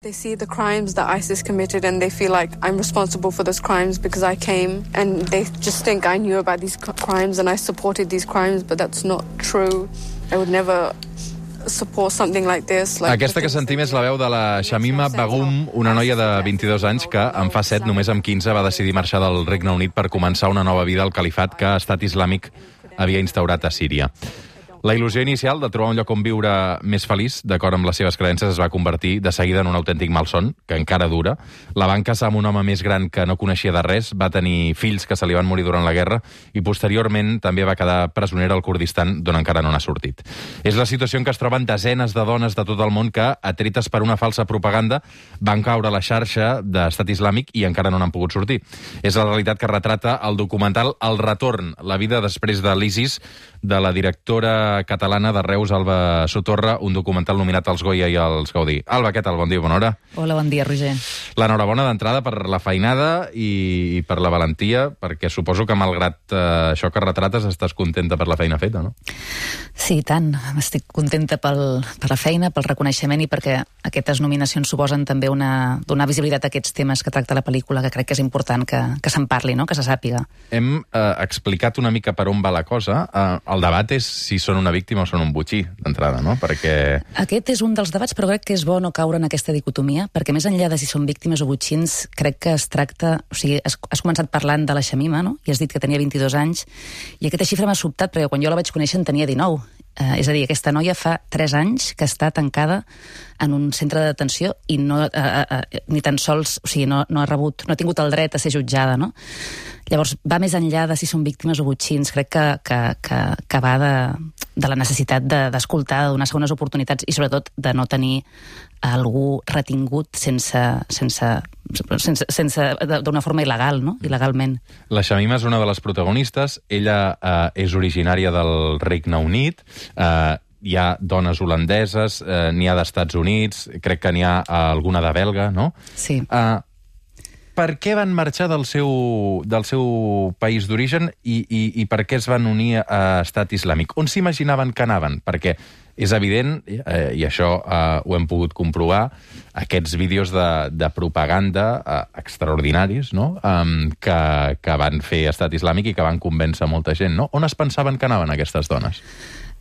They see the crimes that ISIS committed and they feel like I'm responsible for those crimes because I came, and they just think I knew about these crimes and I supported these crimes, but that's not true. I would never support something like this. Aquesta que sentim és la veu de la Shamima Begum, una noia de 22 anys que en fa 7, només amb 15, va decidir marxar del Regne Unit per començar una nova vida al califat que Estat Islàmic havia instaurat a Síria. La il·lusió inicial de trobar un lloc on viure més feliç, d'acord amb les seves creences, es va convertir de seguida en un autèntic malson, que encara dura. La van casar amb un home més gran que no coneixia de res, va tenir fills que se li van morir durant la guerra i posteriorment també va quedar presonera al Kurdistan, d'on encara no n'ha sortit. És la situació en què es troben desenes de dones de tot el món que, atretes per una falsa propaganda, van caure a la xarxa d'Estat Islàmic i encara no n'han pogut sortir. És la realitat que retrata el documental El Retorn, la vida després de l'ISIS, de la directora catalana de Reus, Alba Sotorra, un documental nominat als Goya i als Gaudí. Alba, què tal? Bon dia, bona hora. Hola, bon dia, Roger. L'enhorabona d'entrada per la feinada i per la valentia, perquè suposo que malgrat això que retrates estàs contenta per la feina feta, no? Sí, tant. Estic contenta per la feina, pel reconeixement i perquè aquestes nominacions suposen també donar visibilitat a aquests temes que tracta la pel·lícula, que crec que és important que se'n parli, no? Que se sàpiga. Hem explicat una mica per on va la cosa. El debat és si són una víctima o són un botxí, d'entrada, no? Perquè... Aquest és un dels debats, però crec que és bo no caure en aquesta dicotomia, perquè més enllà de si són víctimes o botxins, crec que es tracta... O sigui, has començat parlant de la Shamima, no? I has dit que tenia 22 anys, i aquesta xifra m'ha sobtat, perquè quan jo la vaig conèixer en tenia 19. És a dir, aquesta noia fa 3 anys que està tancada en un centre de detenció i no, ni tan sols, o sigui, no ha tingut el dret a ser jutjada, no? Llavors, va més enllà de si són víctimes o botxins. Crec que va de la necessitat d'escoltar, de donar segones oportunitats i, sobretot, de no tenir algú retingut d'una forma il·legal, no? Il·legalment. La Shamima és una de les protagonistes. Ella és originària del Regne Unit. Hi ha dones holandeses, n'hi ha d'Estats Units, crec que n'hi ha alguna de belga, no? Sí. Per què van marxar del seu país d'origen i per què es van unir a Estat Islàmic? On s'imaginaven que anaven? Perquè és evident, i això ho hem pogut comprovar, aquests vídeos de propaganda extraordinaris, no? Que van fer Estat Islàmic i que van convèncer molta gent, no? On es pensaven que anaven aquestes dones?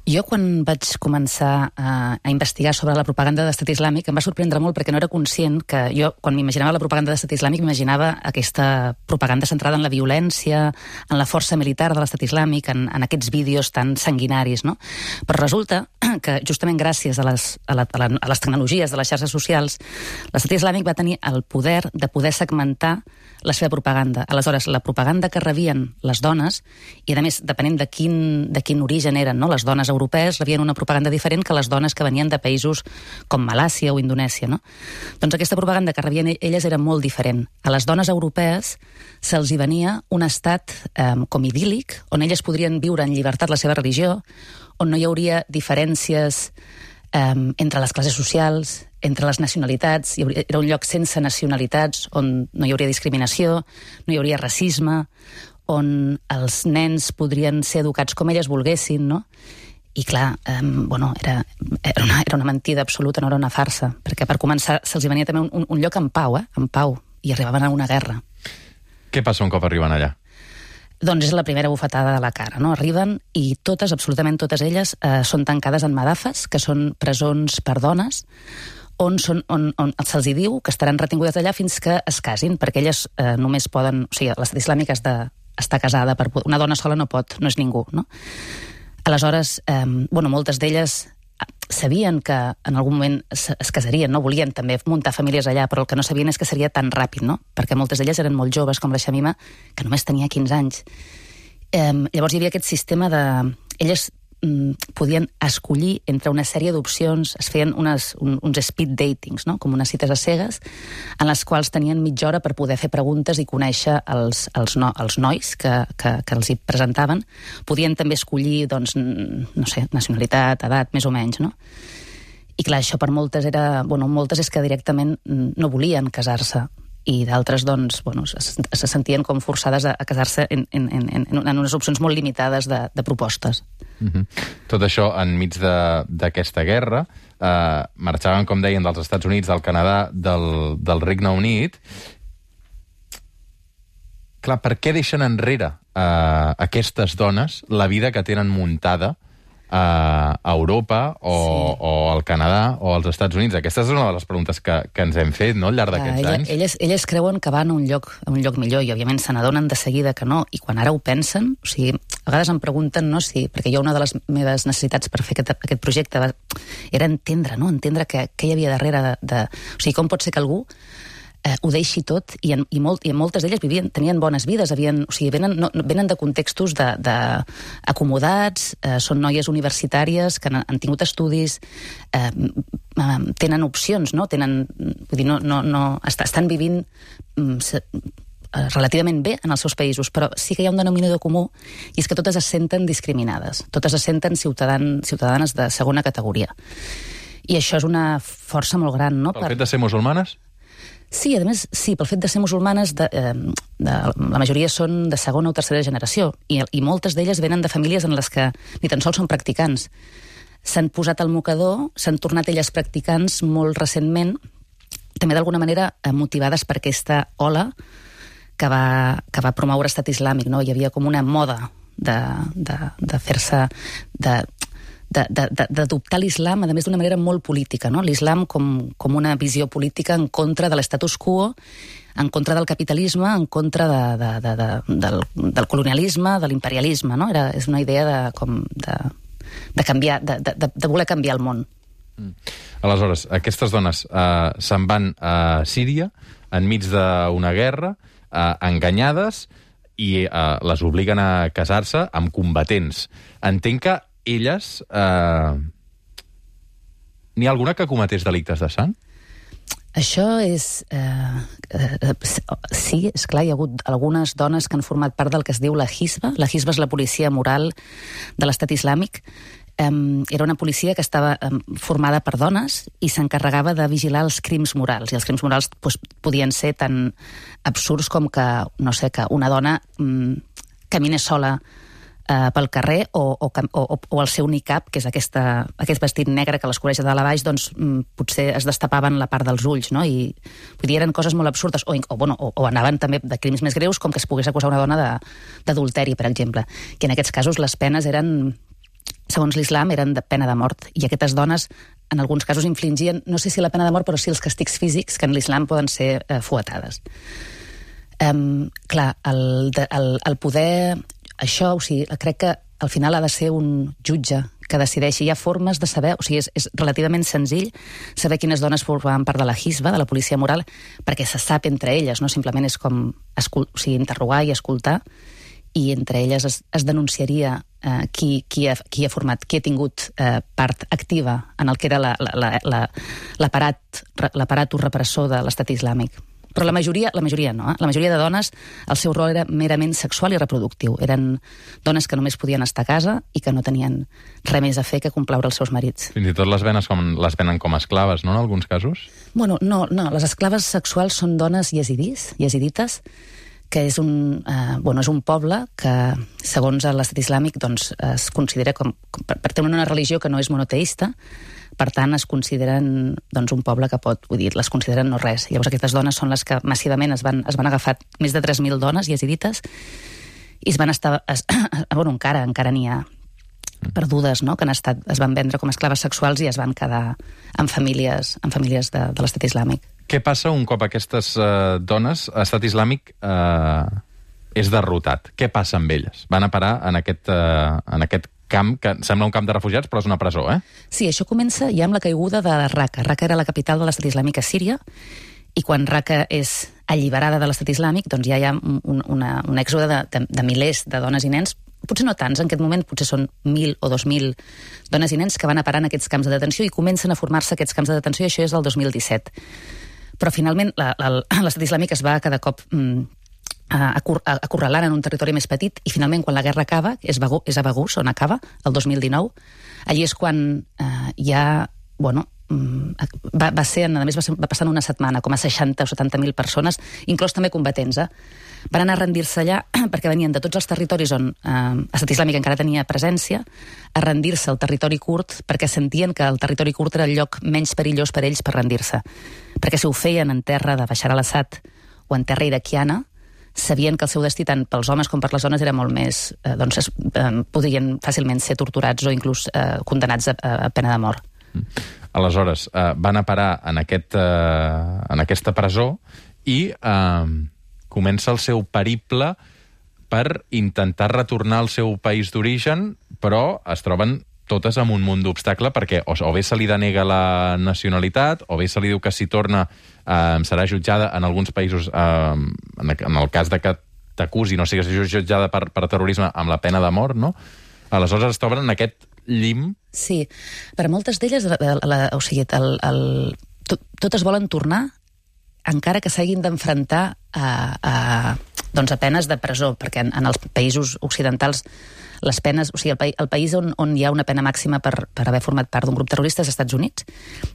Jo, quan vaig començar a investigar sobre la propaganda d'Estat Islàmic, em va sorprendre molt perquè no era conscient que jo, quan m'imaginava la propaganda d'Estat Islàmic, m'imaginava aquesta propaganda centrada en la violència, en la força militar de l'Estat Islàmic, en aquests vídeos tan sanguinaris, no? Però resulta que, justament gràcies a les tecnologies de les xarxes socials, l'Estat Islàmic va tenir el poder de poder segmentar la seva propaganda. Aleshores, la propaganda que rebien les dones, i a més, depenent de quin origen eren, no? Les dones europees rebien una propaganda diferent que les dones que venien de països com Malàisia o Indonèsia, no? Doncs aquesta propaganda que rebien elles era molt diferent. A les dones europees se'ls hi venia un estat com idíl·lic, on elles podrien viure en llibertat la seva religió, on no hi hauria diferències entre les classes socials, entre les nacionalitats. Era un lloc sense nacionalitats, on no hi hauria discriminació, no hi hauria racisme, on els nens podrien ser educats com elles volguessin, no? I clar, era una mentida absoluta, no era una farsa, perquè per començar se'ls venia també un lloc en pau, en pau, i arribaven a una guerra. Què passa un cop arriben allà? Doncs és la primera bufetada de la cara, no? Arriben i totes, absolutament totes elles, són tancades en madafes, que són presons per dones, on se'ls diu que estaran retingudes allà fins que es casin, perquè elles només poden... O sigui, l'Estat Islàmic has d'estar casada. Una dona sola no pot, no és ningú, no? Aleshores, moltes d'elles sabien que en algun moment es casarien, no? Volien també muntar famílies allà, però el que no sabien és que seria tan ràpid, no? Perquè moltes d'elles eren molt joves, com la Shamima, que només tenia 15 anys. Llavors hi havia aquest sistema de... Elles podien escollir entre una sèrie d'opcions, es feien uns speed datings, no? Com unes cites a cegues, en les quals tenien mitja hora per poder fer preguntes i conèixer els nois que els hi presentaven. Podien també escollir, doncs, no sé, nacionalitat, edat, més o menys, no? I clar, això per moltes era... moltes és que directament no volien casar-se. i d'altres doncs, bueno, se sentien com forçades a casar-se en unes opcions molt limitades de propostes. Tot això enmig d'aquesta guerra, marxaven, com deien, dels Estats Units, del Canadà, del Regne Unit. Clar, per què deixen enrere aquestes dones la vida que tenen muntada a Europa o al Canadà o als Estats Units? Aquesta és una de les preguntes que ens hem fet, no?, al llarg d'aquests anys. Elles creuen que van a un lloc millor i, òbviament, se n'adonen de seguida que no. I quan ara ho pensen, o sigui, a vegades em pregunten, no, si, perquè jo una de les meves necessitats per fer aquest projecte era entendre què hi havia darrere o sigui, com pot ser que algú ho deixi tot, i moltes d'elles tenien bones vides, venen de contextos acomodats, són noies universitàries que han tingut estudis, tenen opcions, no? Estan vivint relativament bé en els seus països, però sí que hi ha un denominador comú, i és que totes es senten discriminades, totes es senten ciutadanes de segona categoria. I això és una força molt gran, no? Pel fet de ser musulmanes? Sí, a més, sí, pel fet de ser musulmanes, la majoria són de segona o tercera generació, i moltes d'elles venen de famílies en les que ni tan sols són practicants. S'han posat al mocador, s'han tornat elles practicants molt recentment, també d'alguna manera motivades per aquesta ola que va promoure Estat Islàmic, no? Hi havia com una moda de fer-se... d'adoptar l'islam, a més d'una manera molt política, no? L'islam com una visió política en contra de l'estatus quo, en contra del capitalisme, en contra del colonialisme, de l'imperialisme, no? És una idea de canviar, de voler canviar el món. Aleshores, aquestes dones se'n van a Síria enmig d'una guerra, enganyades, i les obliguen a casar-se amb combatents. Entenc que elles... N'hi ha alguna que cometés delictes de sang? Això és... sí, esclar, hi ha hagut algunes dones que han format part del que es diu la Hizba. La Hizba és la policia moral de l'Estat Islàmic. Era una policia que estava formada per dones i s'encarregava de vigilar els crims morals. I els crims morals podien ser tan absurds com que, no sé, que una dona caminés sola pel carrer o el seu niqab, que és aquest vestit negre que les cobreix de dalt a baix, doncs potser es destapaven la part dels ulls, no? I vull dir, eren coses molt absurdes, o anaven també de crims més greus, com que es pogués acusar una dona d'adulteri, per exemple. I en aquests casos les penes eren, segons l'islam, eren de pena de mort. I aquestes dones, en alguns casos, infligien, no sé si la pena de mort, però sí els càstigs físics, que en l'islam poden ser fuetades. Clar, el poder... Això, o sigui, crec que al final ha de ser un jutge que decideixi. Hi ha formes de saber, o sigui, és relativament senzill saber quines dones formaven part de la Hizba, de la policia moral, perquè se sap entre elles, no? Simplement és com interrogar i escoltar, i entre elles es denunciaria qui ha format, qui ha tingut part activa en el que era l'aparat repressor de l'Estat Islàmic. Però la majoria no. La majoria de dones, el seu rol era merament sexual i reproductiu. Eren dones que només podien estar a casa i que no tenien res més a fer que complaure els seus marits. Fins i tot les venen com esclaves, no?, en alguns casos? Bueno, no, les esclaves sexuals són dones yesidites, que és un poble que, segons l'Estat Islàmic, doncs, es considera per tenir una religió que no és monoteista. Per tant, es consideren un poble que les consideren no res. Llavors aquestes dones són les que massivament es van agafar més de 3.000 dones yesidites i es van estar... encara n'hi ha perdudes, no?, que es van vendre com esclaves sexuals i es van quedar en famílies de l'Estat Islàmic. Què passa un cop aquestes dones, l'Estat Islàmic és derrotat? Què passa amb elles? Van a parar en aquest camp, que sembla un camp de refugiats, però és una presó, eh? Sí, això comença ja amb la caiguda de Raqqa. Raqqa era la capital de l'Estat Islàmic a Síria, i quan Raqqa és alliberada de l'Estat Islàmic, doncs ja hi ha un èxode de milers de dones i nens, potser no tants, en aquest moment potser són 1.000 o 2.000 dones i nens que van a parar en aquests camps de detenció i comencen a formar-se aquests camps de detenció, i això és del 2017. Però finalment l'Estat Islàmic es va cada cop acorralant en un territori més petit, i finalment quan la guerra acaba, és a Baghuz on acaba, el 2019, allí és quan hi ha va passar en una setmana, com a 60 o 70.000 persones, inclòs també combatents. Van anar a rendir-se allà perquè venien de tots els territoris on Estat Islàmic encara tenia presència, a rendir-se al territori kurd, perquè sentien que el territori kurd era el lloc menys perillós per ells per rendir-se. Perquè si ho feien en terra de Bashar al-Assad o en terra iraquiana, sabien que el seu destí, tant pels homes com per les dones, era molt més... podien fàcilment ser torturats o inclús condenats a pena de mort. Aleshores, van a parar en aquesta presó i comença el seu periple per intentar retornar al seu país d'origen, però es troben totes amb un munt d'obstacle, perquè o bé se li denega la nacionalitat, o bé se li diu que si torna serà jutjada en alguns països, en el cas de que t'acusi, no sigues jutjada per terrorisme amb la pena de mort, no? Aleshores es troben en aquest llim. Sí, per a moltes d'elles, totes volen tornar encara que s'hagin d'enfrontar a penes de presó, perquè en els països occidentals les penes, el país on hi ha una pena màxima per haver format part d'un grup terrorista és als Estats Units,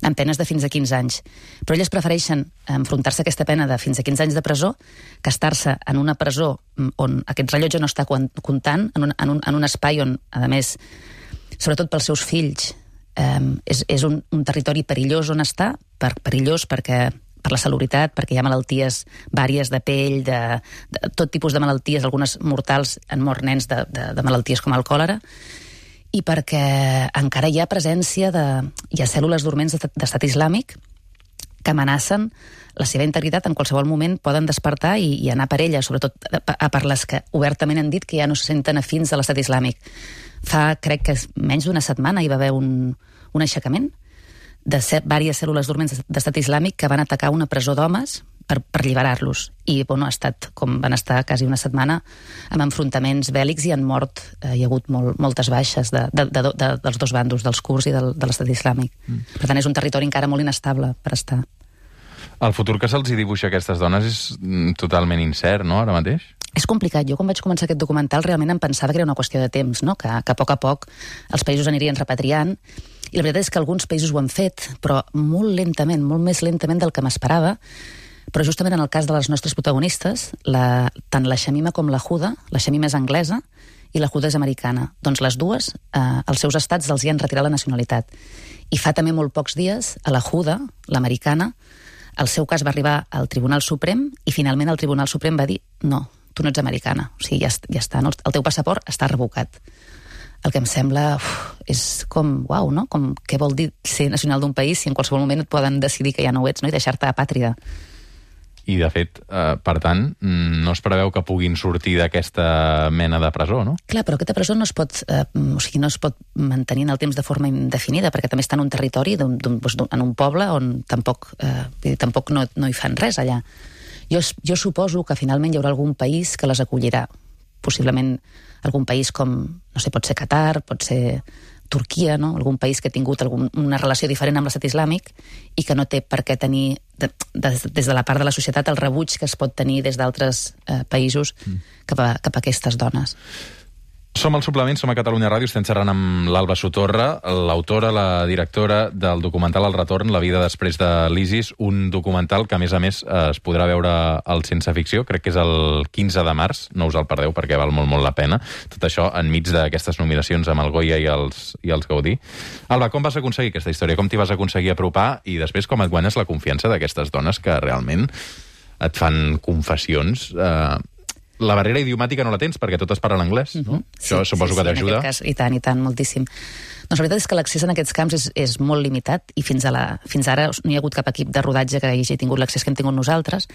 amb penes de fins a 15 anys. Però elles prefereixen enfrontar-se a aquesta pena de fins a 15 anys de presó que estar-se en una presó on aquest rellotge no està comptant, en un espai on, a més, sobretot pels seus fills, és un territori perillós on està, perillós perquè per la salubritat, perquè hi ha malalties vàries de pell, de tot tipus de malalties, algunes mortals, han mort nens de malalties com el còlera, i perquè encara hi ha presència hi ha cèl·lules dorments d'Estat Islàmic que amenacen la seva integritat, en qualsevol moment poden despertar i anar per ella, sobretot per les que obertament han dit que ja no se senten afins a l'Estat Islàmic. Crec que menys d'una setmana hi va haver un aixecament de diverses cèl·lules dorments d'Estat Islàmic que van atacar una presó d'homes per alliberar-los. I van estar quasi una setmana amb enfrontaments bèl·lics i han mort, hi ha hagut moltes baixes dels dos bandos, dels kurds i de l'Estat Islàmic. Per tant, és un territori encara molt inestable per estar. El futur que se'ls dibuixa a aquestes dones és totalment incert, no?, ara mateix? És complicat. Jo, quan vaig començar aquest documental, realment em pensava que era una qüestió de temps, no?, que a poc els països anirien repatriant. I la veritat és que alguns països ho han fet, però molt lentament, molt més lentament del que m'esperava. Però justament en el cas de les nostres protagonistes, tant la Shamima com la Huda, la Shamima és anglesa i la Huda és americana. Doncs les dues, els seus estats els hi han retirat la nacionalitat. I fa també molt pocs dies, a la Huda, l'americana, el seu cas va arribar al Tribunal Suprem i finalment el Tribunal Suprem va dir no, tu no ets americana, o sigui, ja està, no? El teu passaport està revocat. El que em sembla és com, uau, no? Com, què vol dir ser nacional d'un país si en qualsevol moment et poden decidir que ja no ho ets, no? I deixar-te apàtrida. I, de fet, per tant, no es preveu que puguin sortir d'aquesta mena de presó, no? Clar, però aquesta presó no es pot mantenir en el temps de forma indefinida, perquè també està en un territori, en un poble on tampoc no hi fan res allà. Jo suposo que finalment hi haurà algun país que les acollirà. Possiblement algun país com, no sé, pot ser Qatar, pot ser Turquia, no? Algun país que ha tingut una relació diferent amb l'Estat Islàmic i que no té per què tenir, des de la part de la societat, el rebuig que es pot tenir des d'altres països cap a aquestes dones. Som al Suplement, som a Catalunya Ràdio, estem xerrant amb l'Alba Sotorra, l'autora, la directora del documental El Retorn, la vida després de l'ISIS, un documental que, a més, es podrà veure al Sense Ficció, crec que és el 15 de març, no us el perdeu perquè val molt, molt la pena. Tot això enmig d'aquestes nominacions amb el Goya i els Gaudí. Alba, com vas aconseguir aquesta història? Com t'hi vas aconseguir apropar? I després, com et guanyes la confiança d'aquestes dones que realment et fan confessions... La barrera idiomàtica no la tens, perquè totes parlen anglès, no? Això suposo que t'ajuda. En aquest cas, i tant, moltíssim. Doncs la veritat és que l'accés en aquests camps és molt limitat i fins ara no hi ha hagut cap equip de rodatge que hagi tingut l'accés que hem tingut nosaltres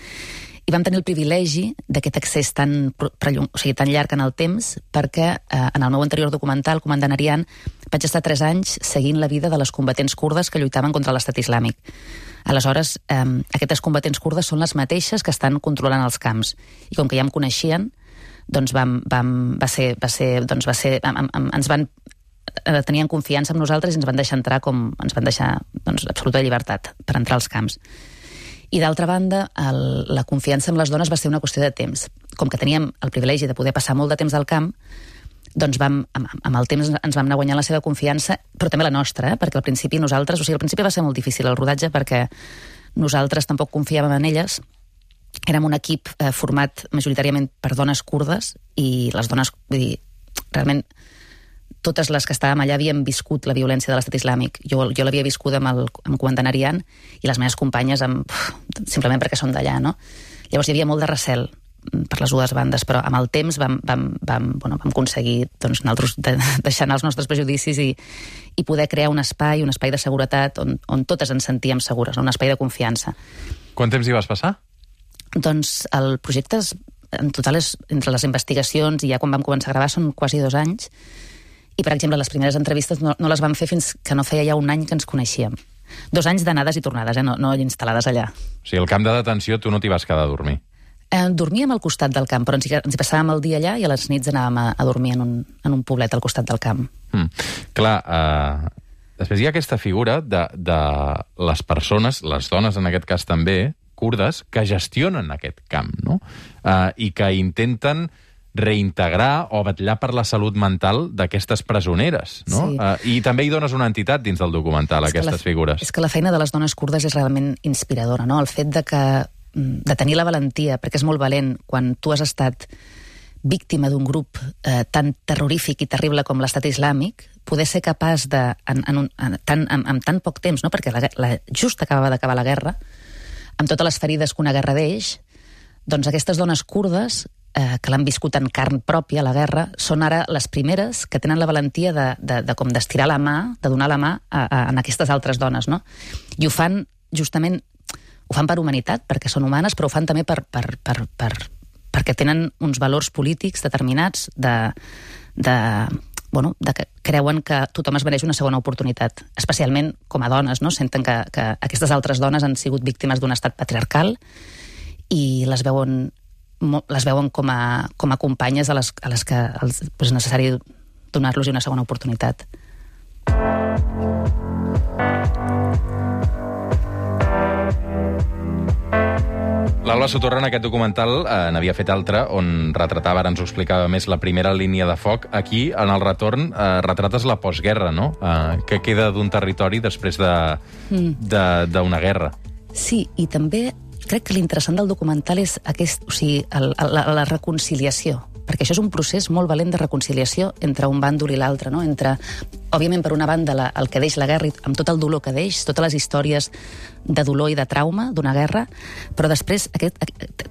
i vam tenir el privilegi d'aquest accés tan llarg en el temps perquè en el meu anterior documental, Comandant Arian, vaig estar 3 anys seguint la vida de les combatents kurdes que lluitaven contra l'Estat Islàmic. Aleshores, aquestes combatents kurdes són les mateixes que estan controlant els camps. I com que ja em coneixien, doncs tenien confiança en nosaltres i ens van deixar entrar absoluta llibertat per entrar als camps. I d'altra banda, la confiança en les dones va ser una qüestió de temps. Com que teníem el privilegi de poder passar molt de temps al camp, doncs amb el temps ens vam anar guanyant la seva confiança, però també la nostra, perquè al principi nosaltres, al principi va ser molt difícil el rodatge perquè nosaltres tampoc confiàvem en elles. Érem un equip format majoritàriament per dones kurdes i les dones, vull dir, realment totes les que estàvem allà havíem viscut la violència de l'estat islàmic. Jo l'havia viscut amb el comandant Arian i les meves companyes simplement perquè són d'allà, no? Llavors hi havia molt de recel per les dues bandes, però amb el temps vam aconseguir doncs, nosaltres deixar anar els nostres prejudicis i poder crear un espai de seguretat on totes ens sentíem segures, un espai de confiança. Quant temps hi vas passar? Doncs el projecte en total és entre les investigacions i ja quan vam començar a gravar són quasi 2 anys i, per exemple, les primeres entrevistes no les vam fer fins que no feia ja 1 any que ens coneixíem. 2 anys d'anades i tornades, no instal·lades allà. O sigui, al camp de detenció tu no t'hi vas quedar a dormir? Dormíem al costat del camp, però ens hi passàvem el dia allà i a les nits anàvem a dormir en un poblet al costat del camp. Clar, després hi ha aquesta figura de les persones, les dones en aquest cas també, kurdes, que gestionen aquest camp, no? I que intenten reintegrar o vetllar per la salut mental d'aquestes presoneres, no? Sí. I també hi dones una entitat dins del documental, aquestes figures. És que la feina de les dones kurdes és realment inspiradora, no? El fet de tenir la valentia, perquè és molt valent quan tu has estat víctima d'un grup tan terrorífic i terrible com l'estat islàmic, poder ser capaç de, en tan poc temps, no? Perquè just acabava d'acabar la guerra, amb totes les ferides que una guerra deix, doncs aquestes dones kurdes que l'han viscut en carn pròpia, la guerra, són ara les primeres que tenen la valentia com d'estirar la mà, de donar la mà a aquestes altres dones, no? I ho fan, justament, ho fan per humanitat, perquè són humanes, però ho fan també perquè tenen uns valors polítics determinats que creuen que tothom es mereix una segona oportunitat, especialment com a dones, no? Senten que aquestes altres dones han sigut víctimes d'un estat patriarcal i les veuen com a companyes a les que és necessari donar-los una segona oportunitat. L'Alba Sotorra en aquest documental n'havia fet altre on retratava, ara ens ho explicava més, la primera línia de foc. Aquí, en el retorn, retrates la postguerra, no? Què queda d'un territori després d'una guerra. Sí, i també crec que l'interessant del documental és la reconciliació, perquè això és un procés molt valent de reconciliació entre un bàndol i l'altre, no? Entre, òbviament, per una banda, el que deix la guerra, amb tot el dolor que deix, totes les històries de dolor i de trauma d'una guerra, però després té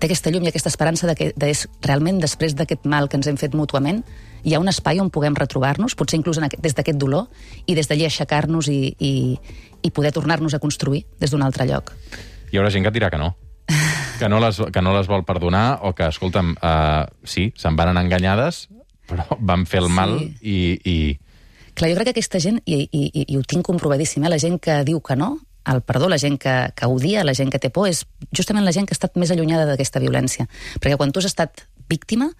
aquesta llum i aquesta esperança que realment després d'aquest mal que ens hem fet mútuament hi ha un espai on puguem retrobar-nos, potser inclús des d'aquest dolor, i des d'allí aixecar-nos i poder tornar-nos a construir des d'un altre lloc. Hi haurà gent que et dirà que no. Que no les vol perdonar o que, escolta'm, sí, se'n van anar enganyades, però van fer el mal i... Clar, jo crec que aquesta gent, i ho tinc comprovadíssim, la gent que diu que no, el perdó, la gent que odia, la gent que té por, és justament la gent que ha estat més allunyada d'aquesta violència. Perquè quan tu has estat víctima,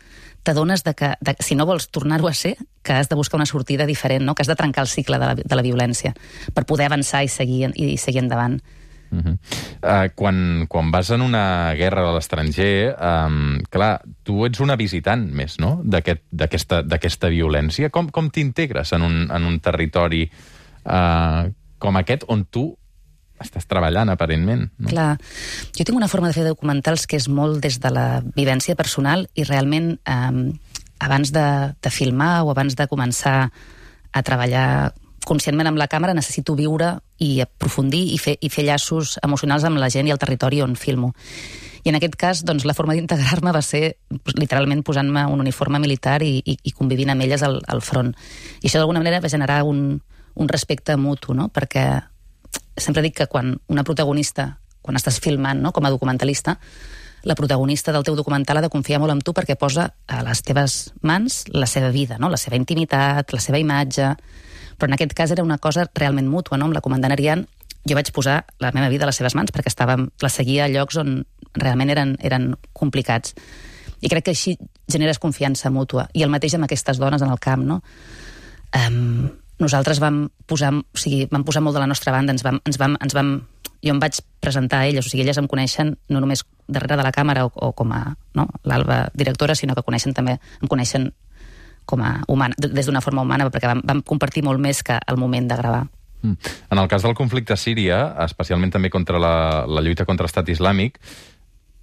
t'adones que si no vols tornar-ho a ser, que has de buscar una sortida diferent, no? Que has de trencar el cicle de la violència per poder avançar i seguir endavant. Quan vas en una guerra a l'estranger, clar, tu ets una visitant més, no?, d'aquesta violència. Com t'integres en un territori com aquest on tu estàs treballant, aparentment, no? Clar, jo tinc una forma de fer documentals que és molt des de la vivència personal i realment abans de filmar o abans de començar a treballar conscientment amb la càmera necessito viure i aprofundir i fer llaços emocionals amb la gent i el territori on filmo. I en aquest cas, doncs, la forma d'integrar-me va ser literalment posant-me un uniforme militar i convivint amb elles al front. I això d'alguna manera va generar un respecte mutu, no? Perquè sempre dic que quan una protagonista, quan estàs filmant, no?, com a documentalista, la protagonista del teu documental ha de confiar molt en tu perquè posa a les teves mans la seva vida, no?, la seva intimitat, la seva imatge. Però en aquest cas era una cosa realment mútua, no? Amb la comandant Arian jo vaig posar la meva vida a les seves mans perquè la seguia a llocs on realment eren complicats. I crec que així generes confiança mútua. I el mateix amb aquestes dones en el camp, no? Nosaltres vam posar molt de la nostra banda, jo em vaig presentar a elles, o sigui, elles em coneixen no només darrere de la càmera o com a, no?, l'Alba directora, sinó que em coneixen humana, des d'una forma humana, perquè vam compartir molt més que el moment de gravar. En el cas del conflicte a Síria, especialment també contra la lluita contra l'estat islàmic,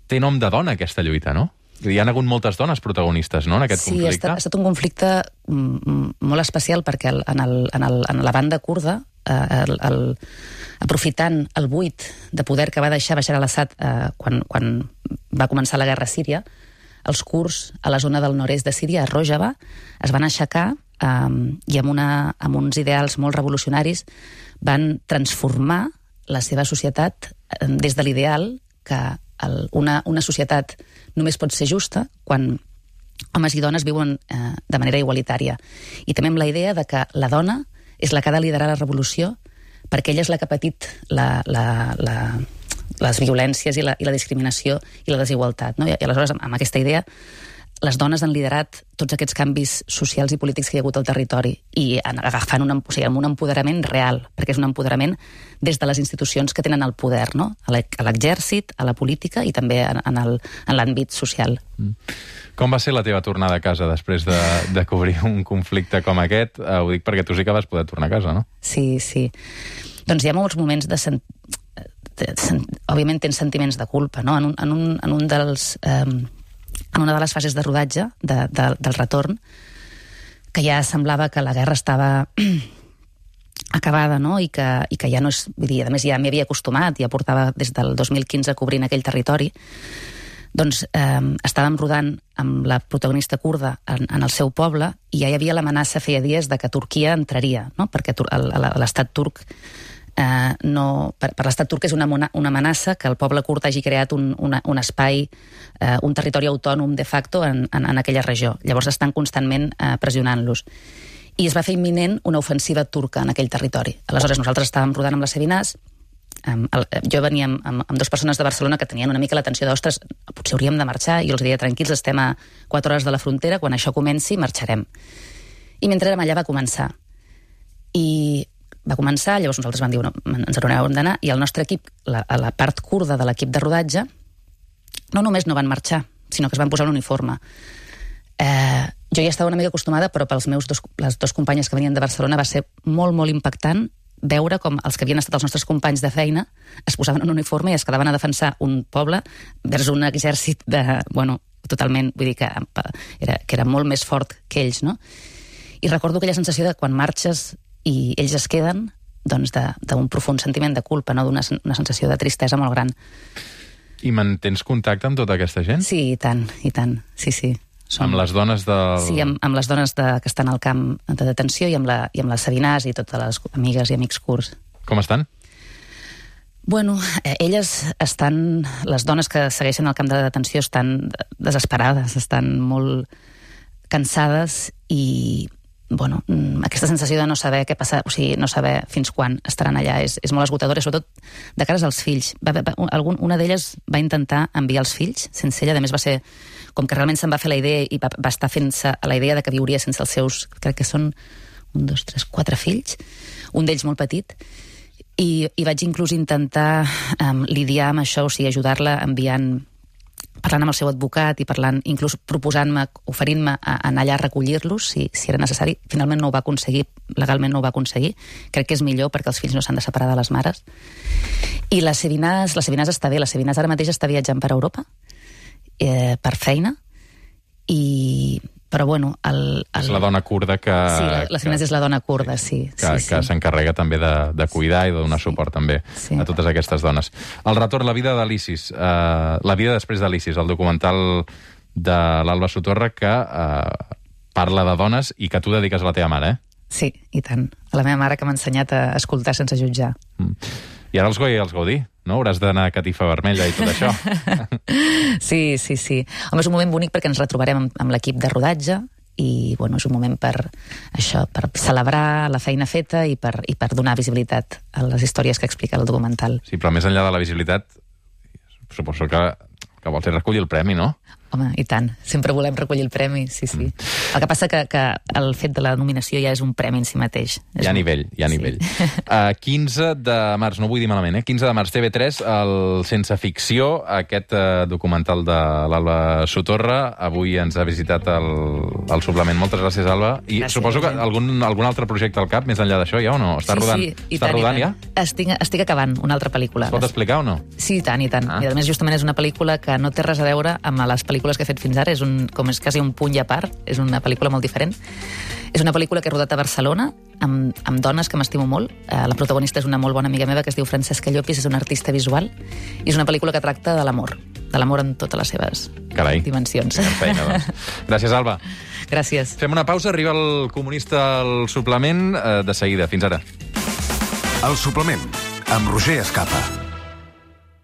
té nom de dona aquesta lluita, no? Hi ha hagut moltes dones protagonistes, no?, en aquest conflicte. Sí, ha estat un conflicte molt especial perquè en la banda kurda, aprofitant el buit de poder que va deixar Bashar al-Assad quan va començar la guerra a Síria, els kurds a la zona del nord-est de Síria, a Rojava, es van aixecar i amb uns ideals molt revolucionaris van transformar la seva societat des de l'ideal que una societat només pot ser justa quan homes i dones viuen de manera igualitària. I també amb la idea de que la dona és la que ha de liderar la revolució perquè ella és la que ha patit les violències i la discriminació i la desigualtat. No? I aleshores, amb aquesta idea, les dones han liderat tots aquests canvis socials i polítics que hi ha hagut al territori i agafant amb un empoderament real, perquè és un empoderament des de les institucions que tenen el poder, no? A l'exèrcit, a la política i també en l'àmbit social. Com va ser la teva tornada a casa després de cobrir un conflicte com aquest? Ho dic perquè tu sí que vas poder tornar a casa, no? Sí. Doncs hi ha molts moments òbviament tens sentiments de culpa, no? En una de les fases de rodatge del retorn, que ja semblava que la guerra estava acabada, no? I que ja no és... Vull dir, a més, ja m'hi havia acostumat, ja portava des del 2015 cobrint aquell territori. Doncs estàvem rodant amb la protagonista kurda en el seu poble i ja hi havia l'amenaça feia dies de que Turquia entraria, no? Perquè l'estat turc per l'estat turc és una amenaça que el poble kurd hagi creat un espai, un territori autònom de facto en aquella regió. Llavors estan constantment pressionant-los. I es va fer imminent una ofensiva turca en aquell territori. Aleshores nosaltres estàvem rodant amb les Sabinàs, jo venia amb 2 persones de Barcelona que tenien una mica l'atenció d'ostres, potser hauríem de marxar, i jo els deia tranquils, estem a 4 hores de la frontera, quan això comenci marxarem. I mentre érem allà va començar. Llavors nosaltres vam dir, ens n'haurem d'anar, i el nostre equip, a la part kurda de l'equip de rodatge, no només no van marxar, sinó que es van posar un uniforme. Jo ja estava una mica acostumada, però pels les 2 companyes que venien de Barcelona va ser molt, molt impactant veure com els que havien estat els nostres companys de feina es posaven un uniforme i es quedaven a defensar un poble vers un exèrcit totalment, vull dir que era molt més fort que ells, no? I recordo aquella sensació de quan marxes i ells es queden, doncs d'un profund sentiment de culpa, no? D'una sensació de tristesa molt gran. I mantens contacte amb tota aquesta gent? Sí, i tant, sí. Amb les dones del... Sí, amb les dones que estan al camp de detenció i amb les Sabinàs i totes les amigues i amics kurds. Com estan? Bueno, elles estan... Les dones que segueixen al camp de detenció estan desesperades, estan molt cansades i... aquesta sensació de no saber què passa, o sigui, no saber fins quan estaran allà és molt esgotadora, sobretot de cares als fills. Una d'elles va intentar enviar els fills sense ella, a més va ser com que realment se'n va fer la idea i va estar fent-se a la idea de que viuria sense els seus, crec que són 1, 2, 3, 4 fills, un d'ells molt petit, i vaig inclús intentar lidiar amb això, o sigui, ajudar-la parlant amb el seu advocat i parlant, inclús proposant-me, oferint-me a anar allà a recollir-los si era necessari. Finalment no ho va aconseguir, legalment no ho va aconseguir. Crec que és millor perquè els fills no s'han de separar de les mares. I la Sabinàs està bé, la Sabinàs ara mateix està viatjant per Europa per feina però és la dona kurda que... Sí, la Sabinàs és la dona kurda, sí. Que s'encarrega també de cuidar i de donar suport també a totes aquestes dones. El retorn, la vida de l'ISIS, la vida després de l'ISIS, el documental de l'Alba Sotorra que parla de dones i que tu dediques a la teva mare, Sí, i tant. A la meva mare que m'ha ensenyat a escoltar sense jutjar. I ara els Gaudí, no? Hauràs d'anar a catifa vermella i tot això. Sí. Home, és un moment bonic perquè ens retrobarem amb l'equip de rodatge i, és un moment per celebrar la feina feta i per donar visibilitat a les històries que explica el documental. Sí, però més enllà de la visibilitat, suposo que vols recollir el premi, no? Home, i tant. Sempre volem recollir el premi, sí. El que passa que el fet de la nominació ja és un premi en si mateix. Hi ha nivell. 15 de març, no vull dir malament, 15 de març, TV3, el Sense Ficció, aquest documental de l'Alba Sotorra. Avui ens ha visitat el suplement. Moltes gràcies, Alba. I suposo que algun altre projecte al cap, més enllà d'això, ja o no? Està rodant? Sí, Està rodant ja? Estic acabant una altra pel·lícula. Es pot explicar o no? Sí, i tant. I a més, justament és una pel·lícula que no té res a veure amb les pel·lícules que he fet fins ara, és quasi un punt i a part, és una pel·lícula molt diferent. És una pel·lícula que he rodat a Barcelona, amb dones que m'estimo molt. La protagonista és una molt bona amiga meva que es diu Francesca Llopis, és una artista visual, i és una pel·lícula que tracta de l'amor en totes les seves dimensions. Feina, doncs. Gràcies, Alba. Gràcies. Fem una pausa, arriba el comunista al suplement de seguida. Fins ara. El suplement, amb Roger Escapa.